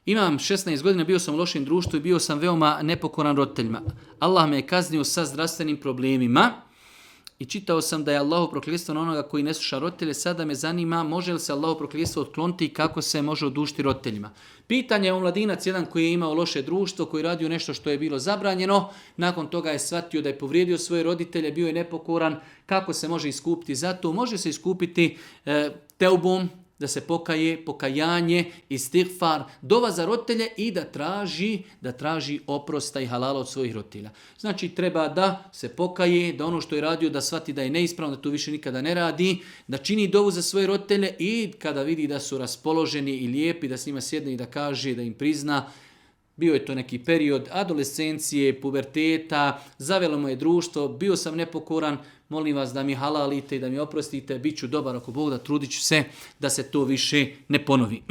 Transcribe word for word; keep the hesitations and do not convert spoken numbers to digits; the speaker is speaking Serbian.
Imam šesnaest godina, bio sam u lošem društvu i bio sam veoma nepokoran roditeljima. Allah me je kaznio sa zdravstvenim problemima i čitao sam da je Allahu prokletstvo na onoga koji ne sluša roditelje. Sada me zanima može li se Allahu prokletstvo otkloniti i kako se može odužiti roditeljima. Pitanje je omladinac jedan koji je imao loše društvo, koji je radio nešto što je bilo zabranjeno. Nakon toga je shvatio da je povrijedio svoje roditelje, bio je nepokoran. Kako se može iskupiti za to? Može se iskupiti e, teubom, da se pokaje, pokajanje, istighfar, dova za roditelje i da traži, da traži oprosta i halala od svojih roditelja. Znači treba da se pokaje, da ono što je radio da shvati da je neispravno, da to više nikada ne radi, da čini dovu za svoje roditelje i kada vidi da su raspoloženi i lijepi, da s njima sjedne i da kaže, da im prizna. Bio je to neki period adolescencije, puberteta, zavelo mu je društvo, bio sam nepokoran, molim vas da mi halalite i da mi oprostite, bit ću dobar ako Bog da, trudit ću se da se to više ne ponovi.